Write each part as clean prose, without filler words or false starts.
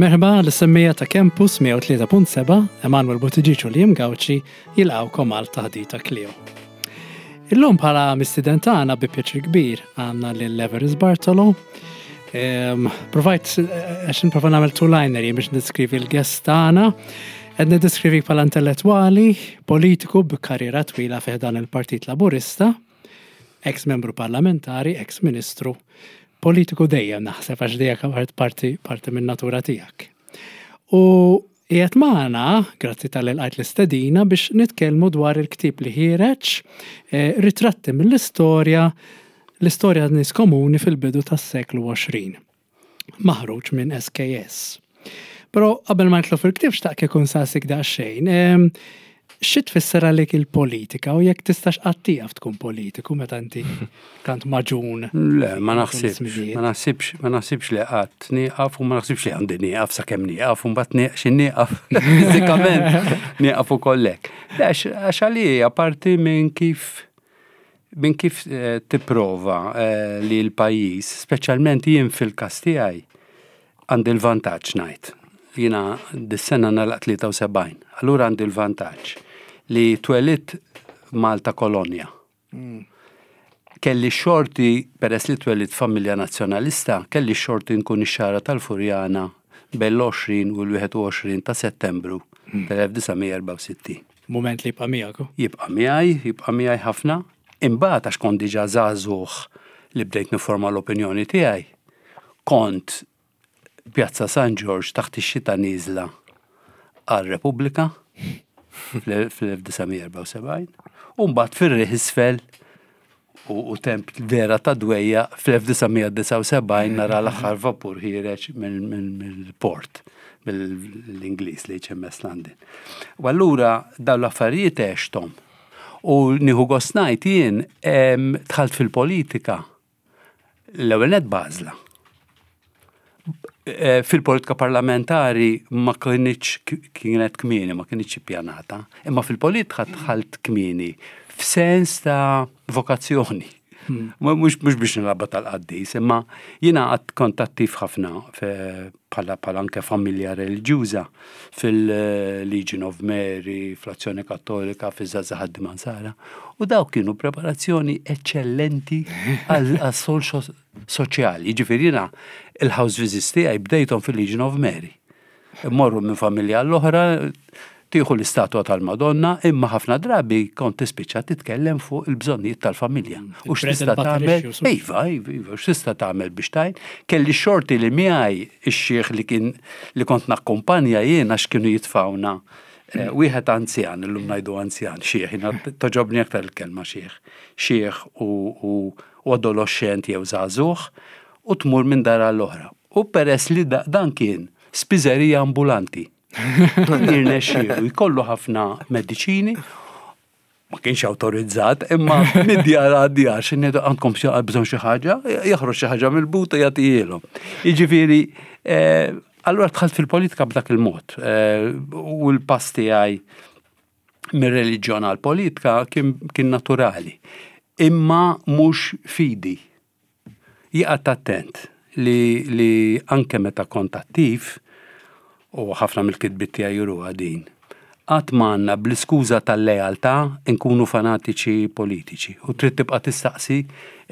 Merħba l-semmija ta' Campus 103.7, Emanuel Buttigieg u Liam Gauci jilqgħukom għal taħdita Clio. Illum bħala mistiden tagħna bi pjaċir kbir għandna lil Everest Bartolo. Ehm, provajt eh, għax nprova nagħmel two-liner jien biex niskrivi l-guest tagħna. Qed niddeskrivik bħala intellettwali, politiku b'karriera twila fih dan il-Partit Laburista, ex membru parlamentari, ex ministru, politiku dejjem naħseb għax dejjem parti parti minn natura tiegħek. U qiegħed magħna, grazzi tal lqajt l-istedina biex nitkellmu dwar il-ktieb li ħiereġ eh, ritratti mill-istorja l-istorja nies komuni fil-bidu tas-seklu 20. Maħruġ minn SKS. Però qabel ma nitlu fil-ktieb xtaqt kieku nsaqsik daqsxejn. Ehm, xi tfisser għalik il-politika u jekk tistax qatt tieqaf tkun politiku meta inti tant maġun? Le, ma naħsibx, ma naħsibx, ma naħsibx li qatt nieqaf u ma naħsibx li għandi nieqaf sakemm nieqaf u mbagħad nieqx nieqaf fiżikament nieqaf ukoll hekk. Le, għax għalija parti minn kif minn kif eh, tipprova eh, li l-pajjiż, speċjalment jien fil-każ tiegħi, Għandi l-vantaġġ ngħid. Jiena dis-sena nagħlaq 73. Allura għandi l-vantaġġ li twelidt Malta kolonja. Mm. Kelli xorti, peress li twelidt familja nazzjonalista, kelli xorti nkun ix-xara tal-Furjana bejn l-20 u l-21 ta' Settembru mm. tal-1964. Moment li jibqa' miegħek. Jibqa' miegħi, jibqa' miegħi ħafna. Imbagħad għax kont diġà żagħżugħ li bdejt nifforma l-opinjoni tiegħi, kont Pjazza San Ġorġ taħt ix-xita nieżla għal Repubblika fl-1974 u mbagħad fir-riħ isfel u temp vera ta' dwejja fl-1979 nara l-aħħar vapur ħiereġ mill-port mill-Ingliż li HMS London. U allura dawn l-affarijiet għexthom. U nieħu gost ngħid jien dħalt fil-politika l-ewwel nett b'għażla. Eh, fil-politika parlamentari ma kienx kienet kmieni, ma kienx ippjanata, imma fil-politika dħalt kmieni f'sens ta' vokazzjoni. Hmm. Mhux biex nilaba tal-qaddis, imma jiena għad kont attiv ħafna bħala bħala anke familja reliġjuża fil-Legion of Mary, fl-Azzjoni Kattolika, fiż-Żgħażagħ Ħaddiema Nsara, u dawk kienu preparazzjoni eċċellenti għas-sol soċjali. Jiġifieri jiena il-house visits tiegħi bdejthom fil-Legion of Mary. Immorru minn familja għall-oħra, tieħu l-istatwa tal-Madonna, imma ħafna drabi kont tispiċċa titkellem fuq il-bżonnijiet tal-familja. Mm, u x'tista' tagħmel? Iva, iva, iva, x'tista' tagħmel biex tajn? Kelli xorti li miegħi ix-xieħ li kien li kont nakkumpanja jien għax kienu jitfawna eh, wieħed anzjan, illum ngħidu anzjan, xieħ, jiena toġobni aktar il-kelma xieħ, xieħ u adolescent jew żagħżugħ u tmur minn dar għall-oħra. U peress li dan kien spiżerija ambulanti. Kien jirnexxielu jkollu ħafna mediċini, ma kienx awtorizzat, imma mid-djar għad-djar, xinni għandkom bżonn xi ħaġa, joħroġ xi ħaġa mill-but u jagħtihielhom. Jiġifieri, eh, allura dħalt fil-politika b'dak il-mod eh, u l-pass tiegħi mir-reliġjon għall-politika kien naturali. Imma mhux fidi. Jien qgħadt attent li li anke meta kont attiv, u ħafna mill-kitbiet tiegħi juruha din, qatt ma għandna bl-iskuża tal-lealtà nkunu fanatiċi politiċi u trid tibqa' tistaqsi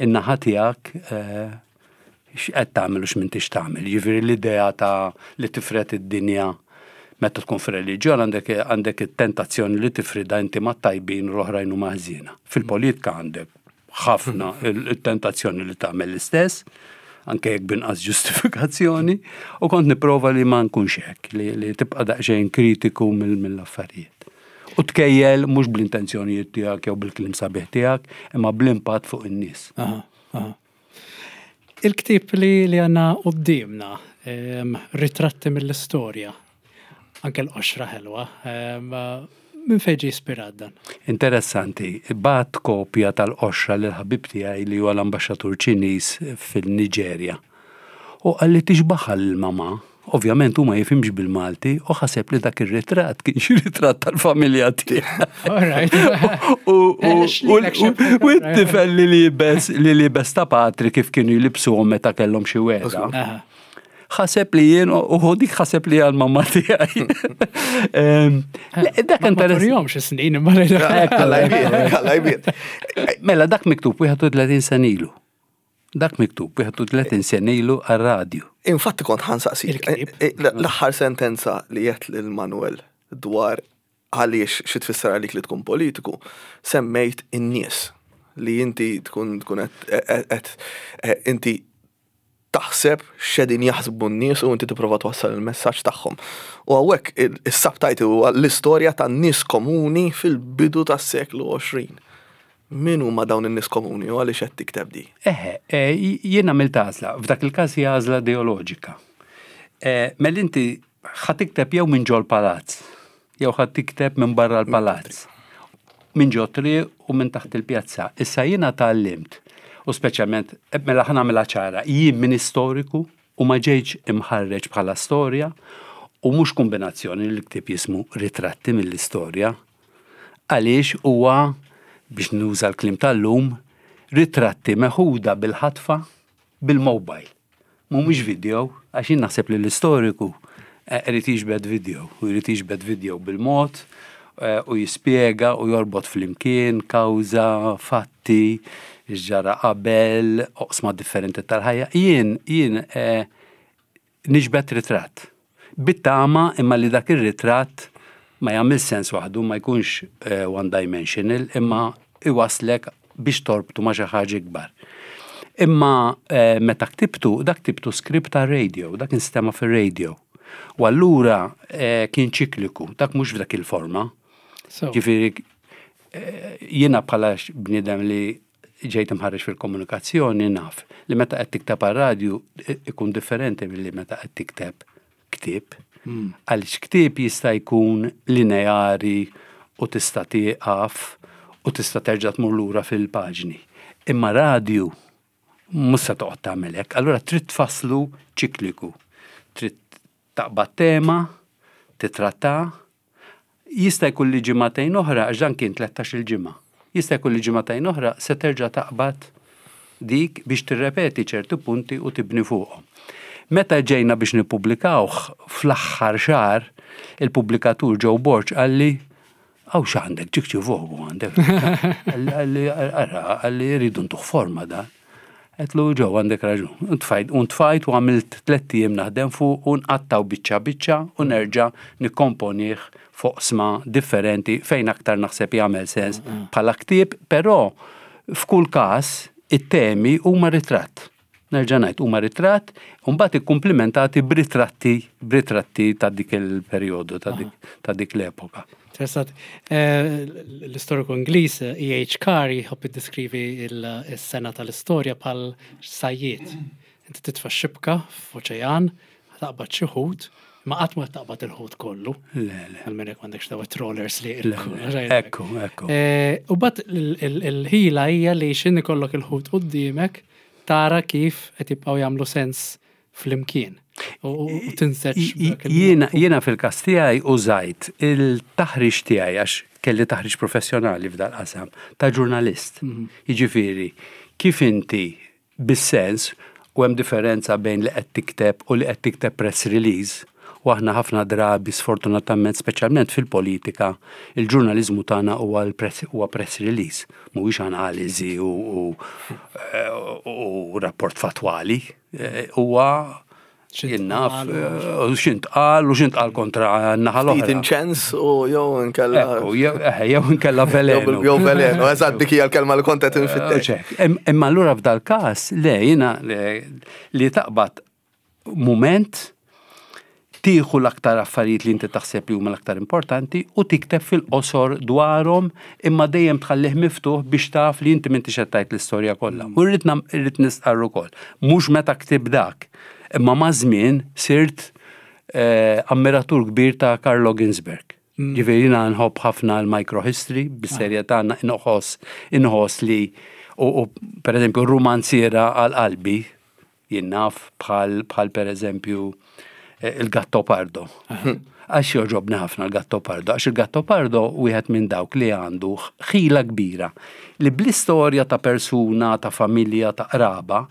n-naħa tiegħek x'qed tagħmel u x'm'intix tagħmel. Jiġifieri l-idea ta' li tifred id-dinja meta tkun fir-reliġjon għandek għandek it-tentazzjoni li tifridha inti mat-tajbin u l-oħrajn huma ħżiena. Fil-politika għandek ħafna il-tentazzjoni li tagħmel l-istess, anke jekk binqas ġustifikazzjoni, u kont nipprova li ma nkunx hekk, li, li tibqa' daqsxejn kritiku mill-affarijiet. U tkejjel mhux bl-intenzjonijiet tiegħek jew bil-kliem sabiħ tiegħek, imma bl-impatt fuq in-nies. Il-ktieb li li għandna quddiemna, ehm, ritratti mill-istorja, anke l-qoxra ħelwa, ehm, minn fejn ġie ispirat dan? Interessanti, bgħatt kopja tal-qoxra lil ħabib tiegħi li huwa l-ambaxxatur Ċiniż fil-Niġerja. U qalli tixbaħha lil mamà. Ovvjament hu ma jifhimx bil-Malti u ħaseb li dak ir-ritratt kien xi ritratt tal-familja tiegħu. U t-tifel li libes li libes ta' patri kif kienu jlibsuhom meta kellhom xi wegħda. Ħaseb li jien u dik ħaseb li għal mamma tiegħi. Dak interess. snin imma Mela dak miktub 31 sen ilu. Dak miktub 31 sen ilu għar-radju. Infatti kont ħansaqsik. Eh, eh, l-aħħar sentenza li jett lil Manuel dwar għaliex xi tfisser għalik li tkun politiku, semmejt in-nies li inti tkun tkun qed eh, inti taħseb x'qegħdin jaħsbu n-nies u inti tipprova twassal il-messaġġ tagħhom. U hawnhekk is-subtitle huwa l-istorja tan-nies komuni fil-bidu tas-seklu 20. Min huma dawn in-nies komuni u għaliex qed tikteb di? Eħe, eh, jien għamilt għażla, f'dak il-każ hija għażla ideoloġika. Eh, mela inti ħa tikteb jew minn ġol palazz, jew ħa tikteb minn barra l-palazz, minn ġo triq u minn taħt il-pjazza. Issa jiena tgħallimt, u speċjalment, eh, mela ħa nagħmilha ċara, jien minn istoriku u ma ġejtx imħarreġ bħala storja u mhux kombinazzjoni li l-ktieb jismu ritratti mill-istorja, għaliex huwa, biex nuża l-kliem tal-lum, ritratti meħuda bil-ħatfa bil-mobile. Mhumiex video, għax jien naħseb li l-istoriku eh, irid jiġbed video, u jrid jiġbed video bil-mod eh, u jispjega u jorbot flimkien kawża, fatti, x'ġara qabel, oqsma differenti tal-ħajja. Jien, jien eh, Niġbed ritratt. Bit-tama imma li dak ir-ritratt ma jagħmilx sens waħdu, ma jkunx eh, one dimensional, imma iwaslek biex torbtu ma' xi ħaġa ikbar. Imma eh, meta ktibtu, dak ktibtu script ta' radio, dak instema' fir-radio. U allura eh, kien ċikliku, dak mhux f'dak il-forma. Ġifieri jiena bħala bniedem li ġejt imħarreġ fil-komunikazzjoni naf li meta qed tikteb għar-radju ikun differenti milli meta qed tikteb ktieb. Hmm. Għaliex ktieb jista' jkun lineari u tista' tieqaf u tista' terġa' tmur lura fil-paġni. Imma radju mhux se toqgħod tagħmel hekk, allura trid tfasslu ċikliku. Trid taqbad tema, titratta, Jista' jkun li ġimagħtejn oħra, għax dan kien tlettax-il ġimgħa, jista' jkun li ġimagħtejn oħra se terġa' taqbad dik biex tirrepeti ċerti punti u tibni fuqhom. Meta ġejna biex nippubblikawh fl-aħħar xahar, il-pubblikatur Joe Borg qalli, Hawn x'għandek, ġiek xi vogu għandek. Qalli, ara, qalli rridu ntuh forma dan. Għedtlu Joe għandek raġun. U ntfajt u ntfajt u għamilt tlett ijiem naħdem fuq u nqattgħu biċċa biċċa u nerġa' nikkomponih f'oqsma differenti fejn aktar naħseb jagħmel sens bħala ktieb, però f'kull każ it-temi huma ritratt. Nerġa' ngħid huma ritratt u mbagħad ikkumplimentati b'ritratti b'ritratti ta' dik il-perjodu ta' dik ta' dik l-epoka. Interessant. Eh, l-istoriku Ingliż E.H. Eh, Carr jħobb iddeskrivi s-sena tal-istorja bħal sajjiet. Inti titfa' xibka f'oċean, taqbad xi ħut, ma qatt ma taqbad il-ħut kollu. Le, le. Għalmenu jekk m'għandekx daw trollers li. Ekku, ekku. Eh, u bat il-ħila hija li x'in ikollok il-ħut quddiemek tara kif qed jibqgħu jagħmlu sens flimkien u tinseġ. Jiena fil-każ tiegħi użajt il-taħriġ tiegħi għax kelli taħriġ professjonali f'dal-qasam ta' ġurnalist. Mhm. Jiġifieri, kif inti bis-sens u hemm differenza bejn li qed tikteb u li qed tikteb press release u aħna ħafna drabi sfortunatament speċjalment fil-politika il-ġurnaliżmu tagħna huwa huwa press release mhuwiex analiżi u, u, u rapport fatwali. Eh, huwa jien naf eh, x'intqal u x'intqal kontra n-naħa l-oħra. Ftit inċens u jew inkella. Eh, jew inkella velenu. Jew velenu, eżatt dik hija l-kelma li kont qed infittex. Imma allura f'dal każ le jiena li taqbad mument tieħu l-aktar affarijiet li inti taħseb li huma l-aktar importanti u tikteb fil-qosor dwarhom imma dejjem tħallih miftuħ biex taf li inti m'intix qed tgħid l-istorja kollha. U rrid irrid nistqarr ukoll, mhux meta ktibt dak, imma maż-żmien sirt eh, ammiratur kbir ta' Carlo Ginzburg. Mm. Ġifieri jiena nħobb ħafna l-microhistory, bis-serjetà inħoss inħoss li u pereżempju r-rumanziera għal qalbi Jien naf bħal bħal pereżempju eh, il-Gattopardo. Għax joġobni ħafna l-Gattopardo, għax il-Gattopardo wieħed minn dawk li għandu ħila kbira li bl-istorja ta' persuna, ta' familja, ta' qraba,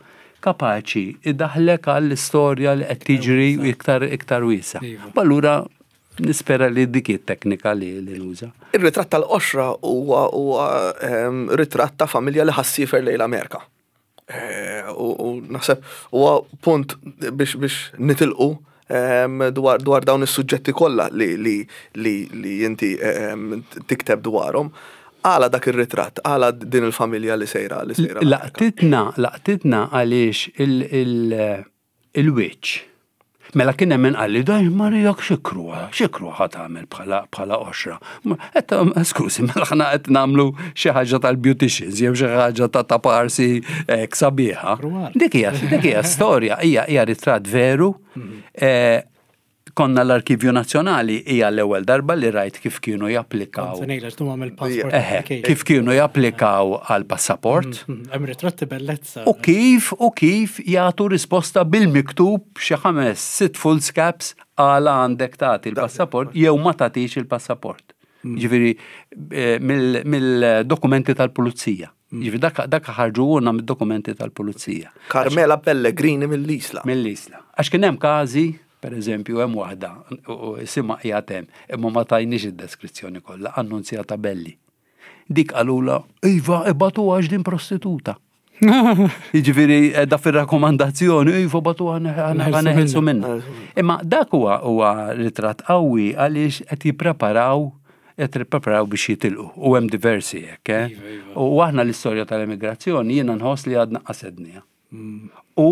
kapaċi idaħlek għall-istorja li qed tiġri iktar iktar wiesa. Iva. Allura nispera li dik it-teknika li li nuża. Ir-ritratt tal-qoxra huwa huwa ehm, ritratt ta' familja li ħassifer lejn l-Amerika. Eh, U u naħseb huwa punt biex biex nitilqu ehm, dwar dwar dawn is-suġġetti kollha li li li li inti ehm, tikteb dwarhom. Għala dak ir-ritratt, għala din il-familja li sejra li sejra. l-Amerika. Laqtitna, laqtitna għaliex il- il- il-wiċċ. Mela kien hemm min qalli daj Marija xikru, xikru ħa tagħmel bħala bħala qoxra. Qed skużi, mela aħna qed nagħmlu xi ħaġa tal-beauticians jew xi ħaġa ta' ta' parsi hekk sabiħa. Kruwal. Dik hija dik hija storja, hija hija ritratt veru. Eh, Konna l-Arkivju Nazzjonali hija l-ewwel darba li rajt kif kienu japplikaw. Se ngħidlek tu għamel passport. Eħe, kif kienu japplikaw għal passaport. Hemm ritratti bellezza. U kif u kif jagħtu risposta bil-miktub xi ħames sitt foolscaps għala għandek tagħti l-passaport jew ma tagħtix il-passaport. Ġifieri eh, mill- mill-dokumenti tal-pulizija. Ġifieri dak dak ħarġuhulna mid-dokumenti tal-pulizija. Carmela Pellegrini mill-Isla. Mill-Isla. Għax kien hemm każi, per eżempju, hemm waħda, u isimha qiegħed hemm, imma ma tajniex id-deskrizzjoni kollha, Annunzjata Belli. Dik qalula, iva, ibatuha għax din prostituta. Jiġifieri da fir-rakkomandazzjoni, iva batuha neħelsu minna. Imma dak huwa huwa ritratt qawwi għaliex qed jippreparaw qed jippreparaw biex jitilqu u hemm diversi hekk, eh? Iva, iva. U aħna l-istorja tal-emigrazzjoni jiena nħoss li għadna qasedniha. U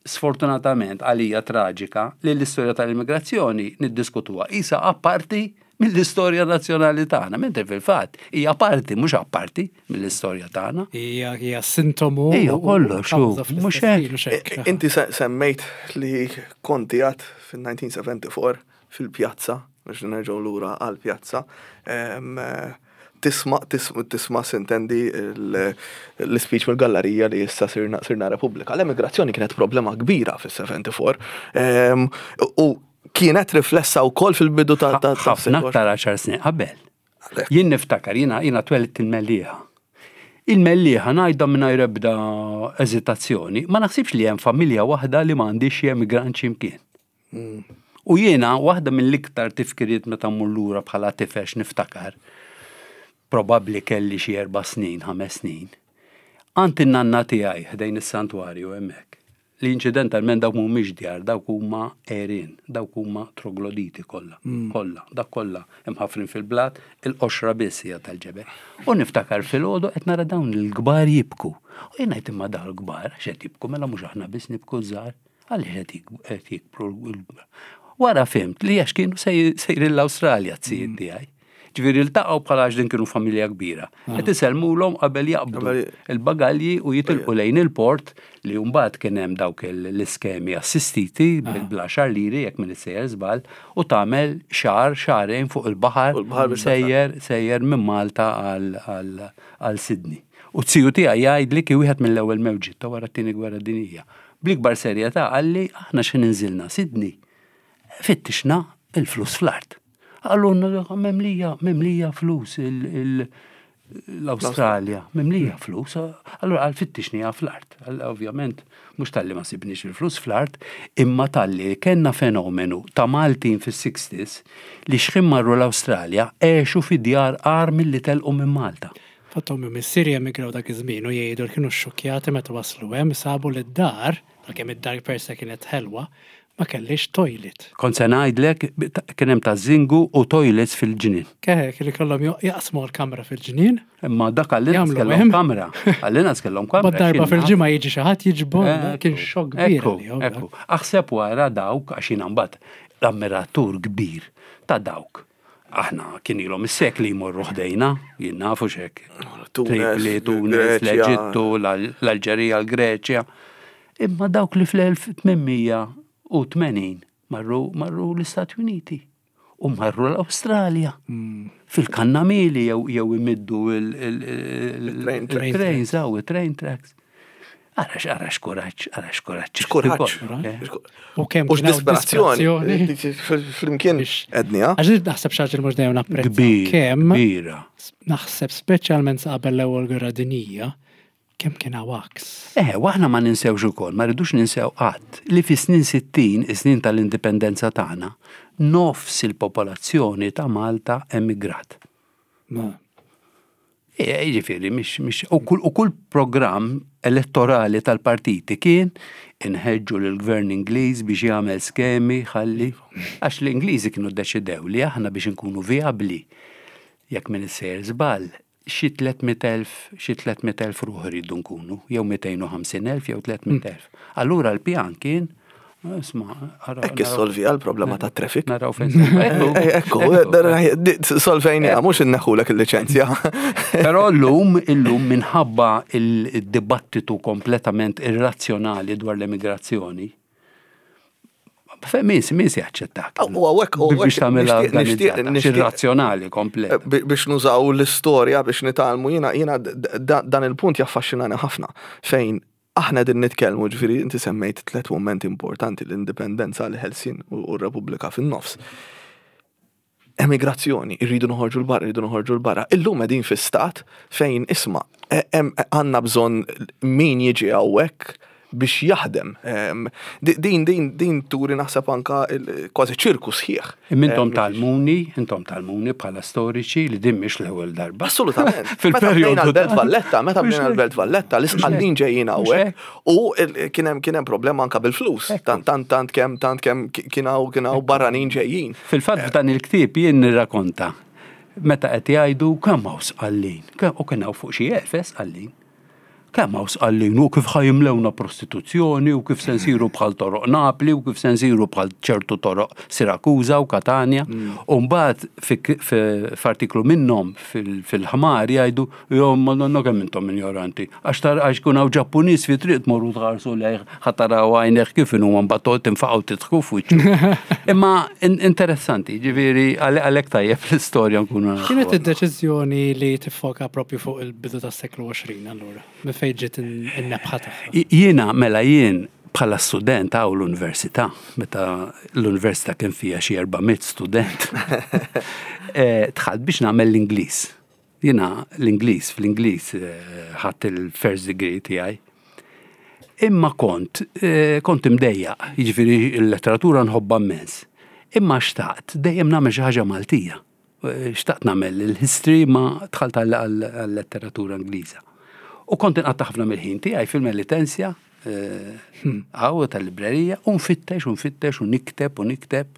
sfortunatament għalija traġika li l-istorja tal-immigrazzjoni niddiskutuha isa apparti mill-istorja nazzjonali tagħna, mentri fil-fatt hija parti mhux apparti mill-istorja tagħna. Hija hija sintomu. Ija, u- u kollox, kawża u fl-istess mhux hekk. ħin, mhux hekk. Inti se- semmejt li konti għad fil-1974 fil-pjazza, biex nerġgħu lura għal-pjazza, em, eh, tisma' tisma' tisma' sintendi l- l-speech mill-gallerija li issa sirna, sirna Repubblika. L-emigrazzjoni kienet problema kbira fil-74 em, u kienet riflessa wkoll fil-bidu ta' ta' ta' ħafna aktar 10 snin qabel. Jien niftakar, jiena jiena twelidt il-Mellieħa. Il-Mellieħa ngħidha mingħajr ebda eżitazzjoni, ma naħsibx li hemm familja waħda li m'għandix xi emigrant x'imkien. U jiena waħda mill-iktar tifkiriet meta mmur lura bħala tifel niftakar, probabbli kelli xi erba' snin, ħames snin, għand in-nanna tiegħi ħdejn is-santwarju hemmhekk. Li inċidentalment dawk mhumiex djar, dawk huma għerien, dawk huma trogloditi kollha, kollha, dak kollha imħaffrin fil-blat, il-qoxra biss hija tal-ġebel. U niftakar filgħodu qed nara dawn il-kbar jibku. U jien ngħid imma dawn il-kbar għax qed jibku mela mhux aħna biss nibku żgħar, għaliex qed jik- qed jikbru l-kbar. Wara fimt li għax kienu sej- sejrin l-Awstralja t-sijiet tiegħi. Ġifieri ltaqgħu bħala għax din kienu familja kbira. Qed isellmulhom qabel jaqbdu Qabel- il-bagalji u jitilqu lejn il-port li mbagħad kien hemm dawk il- l-iskemi assistiti bil-bla liri jekk minn sejjer żball u tagħmel xahar xahrejn fuq il-baħar Fuq il-baħar biex sejjer sejjer minn Malta għal- għal għal Sydney. U t-siju tiegħi jgħidli kien wieħed mill-ewwel mewġiet ta' wara t-tieni gwerra dinjija. Bl-ikbar serjetà qalli aħna xi ninżilna Sydney fittixna il-flus fl-art. Għallunna memlija, memlija flus il- il- l-Australja, memlija flus, allora għal fittixni fl-art. Għal- Ovvjament, mux talli ma sibniex il-flus fl-art, imma talli kena fenomenu ta' Maltin fis-60s li xħin marru l-Australja għexu fi djar għar mill-li telqu minn Malta. Fattom missieri emigraw dak iż-żmien u jgħidu li kienu xxukkjati meta waslu hemm sabu li d-dar, għalkemm id-dar per se kienet ħelwa, ma kellix toilet. Kont se ngħidlek kien hemm ta' zingu u toilets fil-ġnien. Keħe, kienu kellhom jaqsmu l-kamra fil-ġnien, Imma dak għall-inqas Jagħmlu kellhom hemm. kamra. Għall-inqas kellhom kamra. Bad darba x'inna. fil-ġimgħa jiġi xi ħadd jiġbor, kien Ekku, xokk kbir. Ekku, għalihom, ekku. Aħseb wara dawk, għax jiena mbagħad l-ammiratur kbir ta' dawk. Aħna kien ilhom is-sekli jmorru ħdejna, jien nafu x'hekk. Tunes, Tripli, Tunis, Greċja. l-Eġittu, l- l-Alġerija, l-Greċja. Imma dawk li fl-1880 marru, marru l-Istati Uniti u marru l-Awstralja. Fil-kannamili jew jew imiddu Il-train tracks. il-trains, aw, il-train tracks. Arax, arax kuraġġ, arax kuraġġ. X'kuraġġ. Eh. U kemm U kien hawn x'disperazzjoni. disperazzjoni. Flimkien Biex- ednija. Għax naħseb xi ħaġa li mhux dejjem napprezza. Kbir, Kemm kbira. naħseb speċjalment sa qabel l-ewwel gwerra dinjija, Kemm kien hawn għaks. Eh, u aħna ma ninsewx ukoll, ma rridux ninsew qatt li fis-snin 60, is-snin tal-indipendenza tagħna, nofs il-popolazzjoni ta' Malta emigrat. Ma. Eh, jiġifieri mhix mhix u kull u kull programm elettorali tal-partiti kien inħeġġu lill-gvern Ingliż biex jagħmel skemi ħalli għax l-Ingliżi kienu ddeċidew li aħna biex inkunu vijabbli jekk m'iniex sejjer żball xi 300,000 xi 300,000 ruħ irridu nkunu, jew 250,000 jew 300,000. Allura l-pjan kien isma' ara. Hekk issolviha l-problema tat-traffic. Naraw fejn. Ekku, solvejniha mhux inneħħulek il-liċenzja. Però llum illum minħabba il-dibattitu kompletament irrazzjonali dwar l-emigrazzjoni, Min min se jaċċettak? U għawek, u biex tagħmilha nixtieq razzjonali komplet. Eh, biex nużaw l-istorja biex nitalmu jiena jiena dan il-punt jaffaxxinani ħafna fejn aħna din nitkellmu ġifieri inti semmejt tliet momenti importanti l-indipendenza, l-ħelsien u r-Repubblika fin-nofs. Emigrazzjoni, irridu noħorġu l-barra, irridu noħorġu l-barra. Illum qegħdin fi stat fejn isma' e, għandna bżonn min jiġi hawnhekk biex jaħdem. Din din din turi naħseb anka kważi ċirku sħiħ. Intom talmuni, intom talmuni bħala storiċi li din mhix l-ewwel darba. Assolutament. Fil-perjodu l-Belt Valletta, meta bdejna l-Belt Valletta, l-isqallin ġejjin hawnhekk U kien hemm kien hemm problema anka bil-flus. Tant tant tant kemm tant kemm kien hawn kien hawn barranin ġejjin. Fil-fatt f'dan il-ktieb jien nirrakonta meta qed jgħidu kemm hawn sqallin, u kien hawn fuq xi elf eh, sqallin. Kemm hawn sqallin u kif ħa jimlewna prostituzzjoni u kif se nsiru bħal toroq Napli u kif se nsiru bħal ċertu toroq Sirakuża u Katanja. U mbagħad f'artiklu minnhom fil-ħmar jgħidu Jo, madonna kemm intom injoranti. Għax tar għax kun hawn Ġappuniż fi triq tmorru tħarsu lejh ħa taraw għajnejh kif inhuma mbagħad toqgħod tinfaqgħu tidħku f'wiċċu. Imma interessanti, ġifieri għalhekk tajjeb l-istorja nkunu nafu. Kienet id-deċiżjoni li tiffoka propju fuq il-bidu tas-seklu 20 allura? Minn fejn ġiet in-nebħa tagħha? Jiena mela jien bħala student hawn l-università, meta l-università kien fiha xi 400 student, eh, dħalt biex nagħmel l-Ingliż. Jiena l-Ingliż, fl-Ingliż ħadt il-first degree tiegħi. Imma kont, kont imdejjaq, jiġifieri l-letteratura nħobbha immens. Imma xtaqt dejjem nagħmel xi ħaġa Maltija. Xtaqt nagħmel il-history ma dħalt għal-letteratura Ingliża. U kont inqatta' ħafna mill-ħin tiegħi fil-Melitensja, hawn tal-librerija, u nfittex u nfittex u nikteb u nikteb.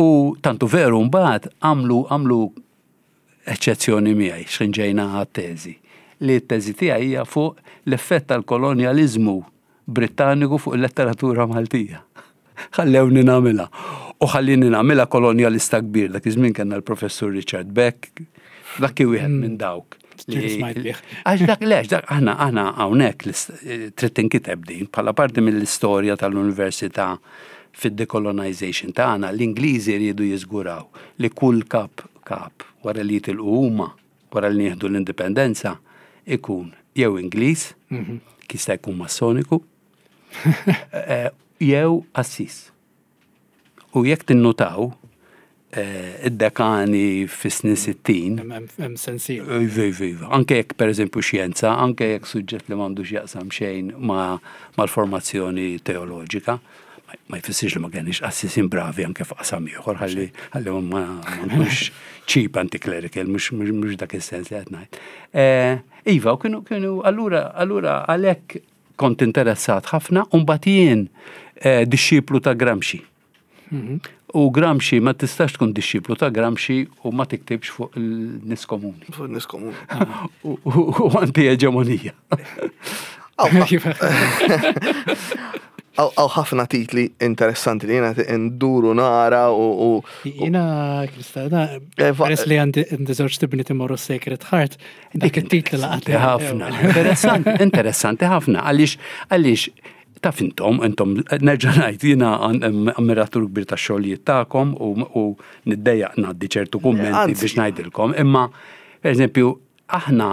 U tantu veru mbagħad għamlu għamlu eċċezzjoni miegħi x'ħin ġejna għat-teżi, li t-teżi tiegħi hija fuq l-effett tal-kolonjaliżmu Brittaniku fuq il-letteratura Maltija. Ħallewni nagħmilha. U ħallini nagħmilha kolonjalista kbir, dak iż-żmien kellna l-Professur Richard Beck, dak kien wieħed minn dawk. Għax dak le, dak aħna aħna hawnhekk trid tinkiteb din bħala parti mill-istorja tal-Università fid-decolonization tagħna, l-Ingliżi riedu jiżguraw li kull kap kap wara li jitilqu huma, wara li nieħdu l-indipendenza, ikun jew Ingliż, mhm. jista' jkun massoniku, eh, jew qassis. U jekk tinnutaw, eh, id-dekani fis-snin 60. Hemm sensiela. Iva, iva, iva. Anke jekk pereżempju xjenza, anke jekk suġġett li m'għandux jaqsam xejn mal-formazzjoni teoloġika, ma jfissirx li ma kenniex qassisin bravi anke f'qasam ieħor ħalli ħalli ma nkunx cheap anti-clerical, mhux dak is-sens li qed ngħid. Eh, iva, u kienu kienu allura allura għalhekk kont interessat ħafna u mbagħad jien eh, dixxiplu ta' Gramsci. Mhm. U Gramsci ma tistax tkun dixxiplu ta' Gramsci u ma tiktibx fuq il-nies komuni. Fuq il-nies komuni. U anti-eġemonija. Għaw ħafna titli interessanti li jena nduru nara u. Jena, Krista, eh, peress li għandi żewġ tibni timorru Sacred Heart, dik it-titli laqat. Ħafna. Interessanti, interessanti ħafna. Għaliex, għaliex, taf intom, intom, nerġa' ngħid, jiena ammiratur kbir tax-xogħlijiet tagħkom u niddejjaq ngħaddi ċertu kummenti biex ngħidilkom, imma, per eżempju, aħna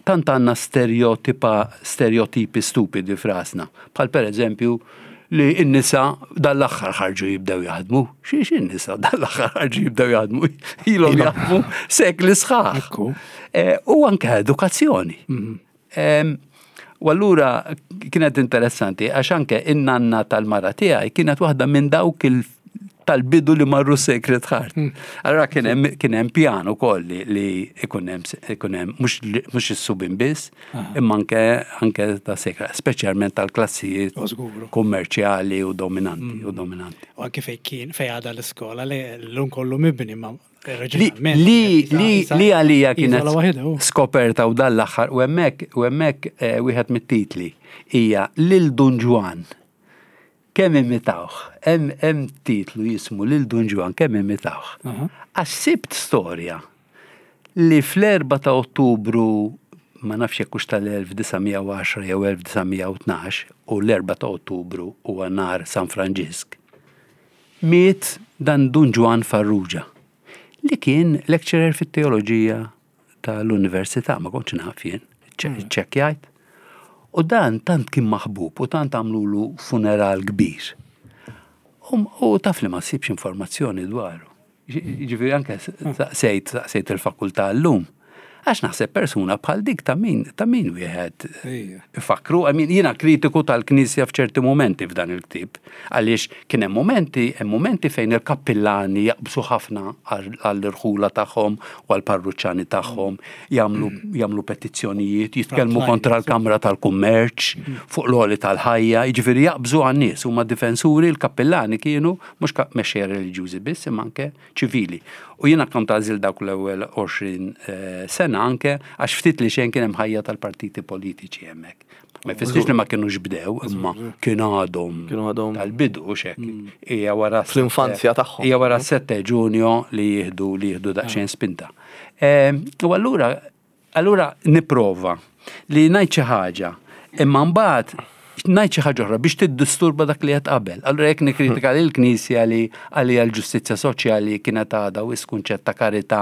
tant għandna stereotipa, stereotipi stupidi f'rasna, bħal per eżempju li n-nisa dal-aħħar ħarġu jibdew jaħdmu. Xiex in-nisa dal-aħħar ħarġu jibdew jaħdmu? Ilhom jaħdmu sekli sħaħ. Eh, u anke edukazzjoni. Mhm. U allura kienet interessanti għax anke in-nanna tal-mara tiegħi kienet waħda minn dawk il tal-bidu li marru Sacred Heart. Allora kien hemm pjan ukoll li ikun hemm mhux is-subin biss, imma anke anke ta' Sacred, speċjalment tal-klassijiet kummerċjali u dominanti u dominanti. U anke fejn kien fejn għadha l-iskola li llum kollu mibni ma Li li għalija kienet skoperta u dan l-aħħar u hemmhekk u hemmhekk eh, wieħed mit-titli hija lil Dun Ġwann kemm imitawh. Hemm titlu jismu lil Dun Ġwann kemm imitawh. Għax sibt storja li fl-4 ta' Ottubru ma nafx jekk hux tal-1910 jew 1912 u l-4 ta' Ottubru huwa nhar San Franġisk. Miet dan Dun Ġwann Farrugia, li kien lecturer fit-teoloġija tal-Università, ma kontx naf jien, ċċekkjajt. U dan tant kien maħbub u tant għamlulu funeral kbir. U taf li ma ssibx informazzjoni dwaru. Jiġifieri anke saqsejt saqsejt il-fakultà llum. Għax naħseb persuna bħal dik ta' min ta' min wieħed ifakkru. I mean, jiena kritiku tal-Knisja f'ċerti mumenti f'dan il-ktieb. Għaliex kien hemm mumenti, hemm mumenti fejn il-kappillani jaqbżu ħafna għall-irħula tagħhom u għall-parruċċani tagħhom, jagħmlu jagħmlu petizzjonijiet, jitkellmu kontra l-Kamra tal-Kummerċ fuq l-għoli tal-ħajja, jiġifieri jaqbżu għan-nies, huma difensuri, l-kappillani kienu mhux mexxejja reliġjużi biss imma anke ċivili. U jiena kont għażilt dawk l-ewwel 20 eh, sena anke għax ftit li xejn kien hemm ħajja tal-partiti politiċi hemmhekk. Ma jfissirx li ma kienux bdew, imma kien għadhom Kienu għadhom tal-bidu u xek. Hija wara Fl-infanzja tagħhom. Hija wara 7 Ġunju li jieħdu li jieħdu daqsxejn spinta. Eh, U allura Allura nipprova li ngħid xi ħaġa, imma mbagħad ngħid xi ħaġa oħra biex tiddisturba dak li qed qabel. Allura jekk nikkritika lill-Knisja li għalija l-ġustizzja soċjali kienet għadha wisq kunċett ta' karità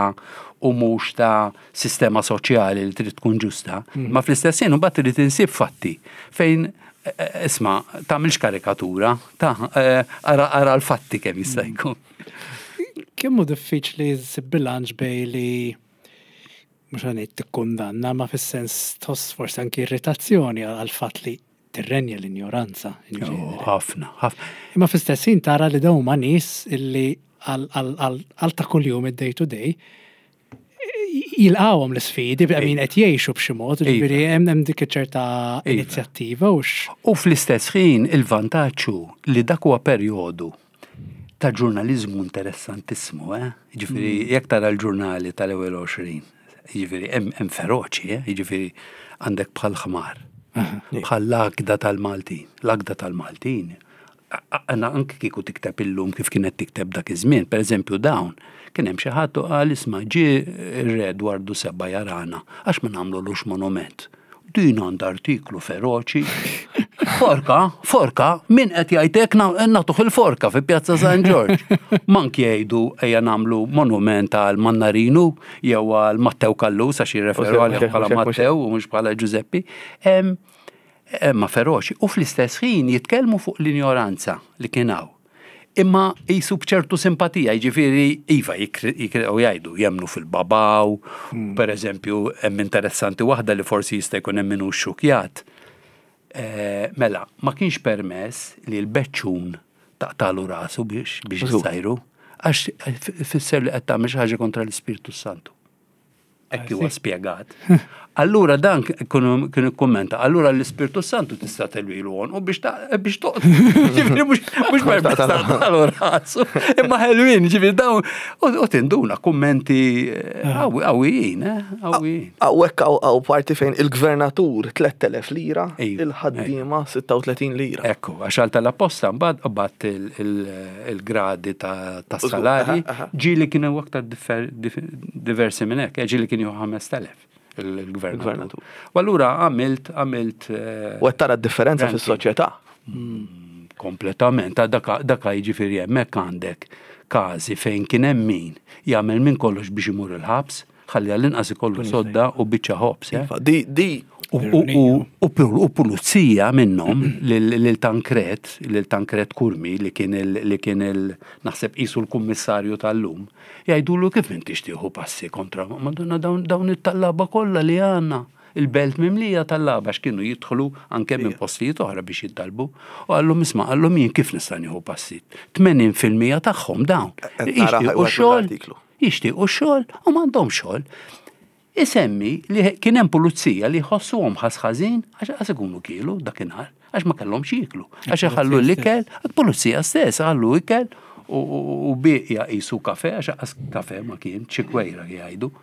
u mhux ta' sistema soċjali li trid tkun ġusta, mm. ma fl-istess ħin imbagħad trid insib fatti fejn eh, eh, isma' tagħmilx karikatura, ta' eh, ara l-fatti kemm jista' mm. jkun. Kemm hu diffiċli ssib bilanċ bej li mhux ħa ngħid tikkundanna, ma fis-sens tħoss forsi anki irritazzjoni għall-fatt li tirrenja l-injoranza. Oh, ħafna, ħafna. Imma fl-istess ħin tara li dawn huma nies illi għal ta' kuljum id-day to day jilqawhom l-isfidi, min qed jgħixu b'xi mod, iva. ġifieri hemm dik ċerta iva. inizjattiva u U fl-istess ħin il-vantaġġ li dak huwa perjodu ta' ġurnaliżmu interessantissimu, eh? Jiġifieri mm. jekk tara l-ġurnali tal-ewwel 20, jiġifieri hemm feroċi, eh? Jiġifieri għandek bħal ħmar, bħal l-għaqda tal-Maltin, l-għaqda tal-Maltin. Għanna anke kieku tikteb illum kif kienet tikteb dak iż-żmien, pereżempju dawn, kien hemm xi ħadd u qal isma' ġie r-re Dwardu Seba' jarana għax ma nagħmlulux monument. Din għandha artiklu feroċi. Forka, forka, min qed jgħid hekk nagħtuh il-forka fi Pjazza San Ġorġ. Mank jgħidu ejja nagħmlu monument għal Mannarinu jew għal Mattew Kallus għax jirreferu għalih bħala Mattew u mhux bħala Ġużeppi. Ma feroċi. U fl-istess ħin jitkellmu fuq l-injoranza li kien hawn. Imma qisu b'ċertu simpatija, jiġifieri iva u jgħidu jemmnu fil-babaw, hmm. per eżempju, hemm interessanti waħda li forsi jista' jkun hemm min hu xxukjat. Eh, mela, ma kienx permess li l-beċċun taqtalu rasu biex biex jissajru, għax fisser li qed tagħmel xi ħaġa kontra l-Ispirtu Santu. Hekk huwa spjegat. Allura dan kien ikkummenta, allura l-Ispirtu Santu tista' telwilu u biex biex toqgħod. Ġifieri mhux permess taqtalu rasu. Imma ħelwin, ġifieri dawn u tinduna kummenti eh, ah. qawwijin, eh, qawwijin. Hawnhekk hawn parti fejn il-gvernatur 3000 lira, il-ħaddiema 36 lira. Ekku, għax għal tal-apposta mbagħad qabad il-gradi ta' salari ġieli kienu aktar diversi minn hekk, eh, ġieli kien jieħu 5000 il-gvernatur. U allura għamilt għamilt. Eh, U qed tara d-differenza fis-soċjetà. Mm, kompletament, daka jiġifieri hemmhekk għandek każi fejn kien hemm min jagħmel minn kollox biex imur il-ħabs, Ħalli għall-inqas ikollu sodda u biċċa ħobż. Eh? Iva, di, di. U pulizija minnhom lil Tankret, lil Tankret Kurmi li kien li kien il naħseb qisu l-kummissarju tal-lum, jgħidulu kif intix tieħu passi kontra Madonna dawn it-tallaba kollha li għandna. Il-belt mimlija tallaba għax kienu jidħlu anke minn postijiet oħra biex jittalbu. U qallhom isma' qallhom jien kif nista' nieħu passi? 80% tagħhom dawn. Jixtiequ xogħol, jixtiequ xogħol u m'għandhomx xogħol. Isemmi li kien hemm pulizija li jħossuhom ħass ħażin għax qas ikunu kielu dakinhar, għax ma kellhomx jieklu, għax iħallu l-ikel, pulizija stess ħallu ikel u bieqja qisu kafe għax qas kafe ma kien, xi kwejra jgħidu.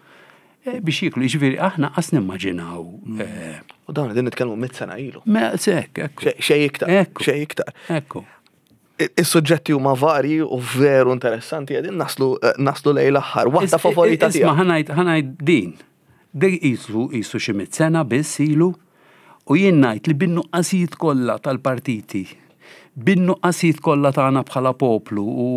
Eh, biex jiklu, jiġifieri aħna qas nimmaġinaw. Mm. Eh, u dawn qegħdin nitkellmu mit sena ilu. Me sekk, ekku. Xej iktar. Xej iktar. Ekku. Is-suġġetti huma varji u veru interessanti qegħdin naslu eh, naslu lejn l-aħħar. Waħda favorita tiegħek. Isma' ħanajt ħanajt din. Dej qisu qisu xi mit sena biss ilu u jien ngħid li bin-nuqqasijiet kollha tal-partiti, bin-nuqqasijiet kollha tagħna bħala poplu u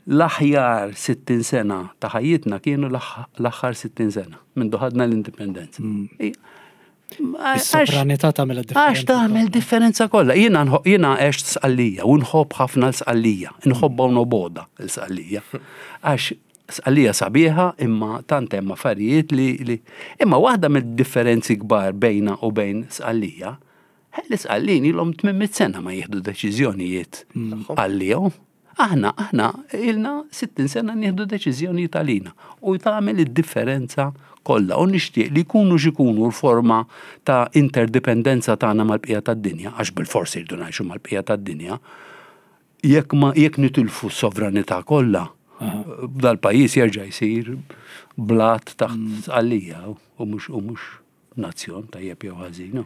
L-aħjar 60 sena ta' ħajjitna kienu l-aħħar 60 sena mindu ħadna l-indipendenza. Mm. Is-sovranità tagħmel differenza. Għax tagħmel differenza kollha. Jiena jiena għext sqallija u nħobb ħafna l-sqallija, nħobbha u noboda l-sqallija. Għax sqallija sabiħa imma tant hemm affarijiet li imma waħda mid-differenzi kbar bejna u bejn sqallija, l-isqallin ilhom 800 sena ma jieħdu deċiżjonijiet mm. għalihom. Aħna, aħna ilna 60 sena nieħdu deċiżjonijiet għalina u tagħmel id-differenza kollha u nixtieq li jkunu x'ikunu l-forma ta' interdipendenza tagħna mal-bqija tad-dinja, għax bilfors irridu ngħixu mal-bqija tad-dinja, jekk ma jekk nitilfu s-sovranità kollha, dal-pajjiż jerġa' jsir blat taħt mm. sqallija u mhux u mhux nazzjon tajjeb jew ħażin.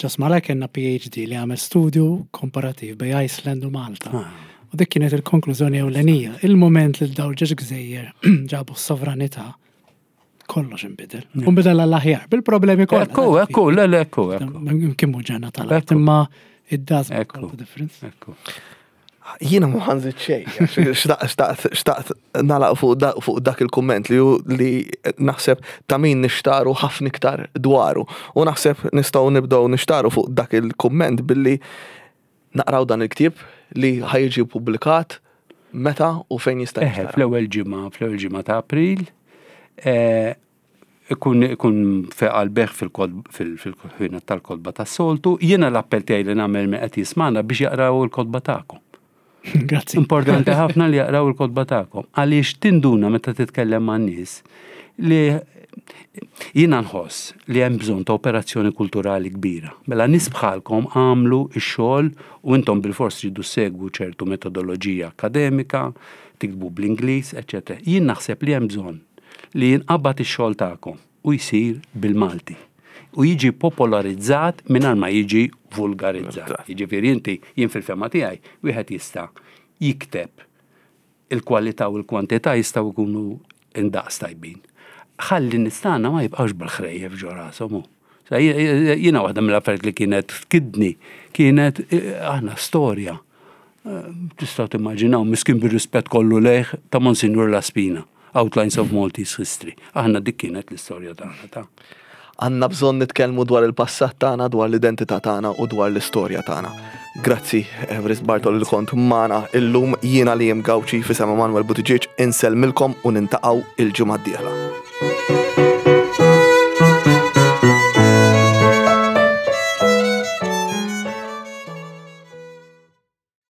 Ġas mara kellna PhD li għamel studju komparativ bej Iceland u Malta. Ah. U dik kienet il-konklużjoni ewlenija. Il-moment li daw ġeġ gżejjer ġabu s-sovranità, kollox inbidel. U nbidel għall-aħjar, bil-problemi kollha. Ekku, ekku, le, le, ekku, ekku. Kien mhu ġenna tal-art, imma it does make all the difference. Ekku. Jiena ma ħanżid xejn, xtaqt xtaqt nagħlaq fuq dak il-kumment li li naħseb ta' min nixtaru ħafna iktar dwaru. U naħseb nistgħu nibdew nixtaru fuq dak il-kumment billi naqraw dan il-ktieb li ħajġi ppubblikat meta u fejn jista' Eħe, fl-ewwel ġimgħa, fl-ewwel ġimgħa ta' April, eh, ikun ikun feqa l-beħ fil-ħwienet tal-kotba tas-soltu. Jiena l-appell tiegħi li nagħmel min qed jismagħna biex jaqraw il-kotba tagħkom. Grazzi. Importanti ħafna li jaqraw il-kotba tagħkom. Għaliex tinduna meta titkellem man-nies li jiena nħoss li hemm bżonn ta' operazzjoni kulturali kbira. Mela nies bħalkom għamlu x-xogħol u intom bilfors tridu ssegwu ċertu metodoloġija akkademika, tiktbu bl-Ingliż, eċċetera. Jien naħseb li hemm bżonn li jinqabad ix-xogħol tagħkom u jsir bil-Malti u jiġi popolarizzat mingħajr ma jiġi vulgarizzat. Jiġifieri inti, jien fil-fehma tiegħi, wieħed jista' jikteb il-kwalità u l-kwantità jistgħu jkunu indaqs tajbin. Ħalli n-nies tagħna ma jibqgħux bil-ħrejjef ġo rashom hu. Jiena waħda mill-affarijiet li kienet tkidni kienet eh, aħna storja. Eh, tistgħu timmaġinaw miskin bir-rispett kollu lejh ta' Monsignor Laspina, Outlines of Maltese History. Aħna dik kienet l-istorja tagħna ta' Għandna bżonn nitkellmu dwar il-passat tagħna, dwar l-identità tagħna u dwar l-istorja tagħna. Grazzi, Everest Bartol li kont magħna illum jiena li jem Gawċi fi Emanuel Buttigieg insellmilkom u nintaqgħu il-ġimgħa d-dieħla.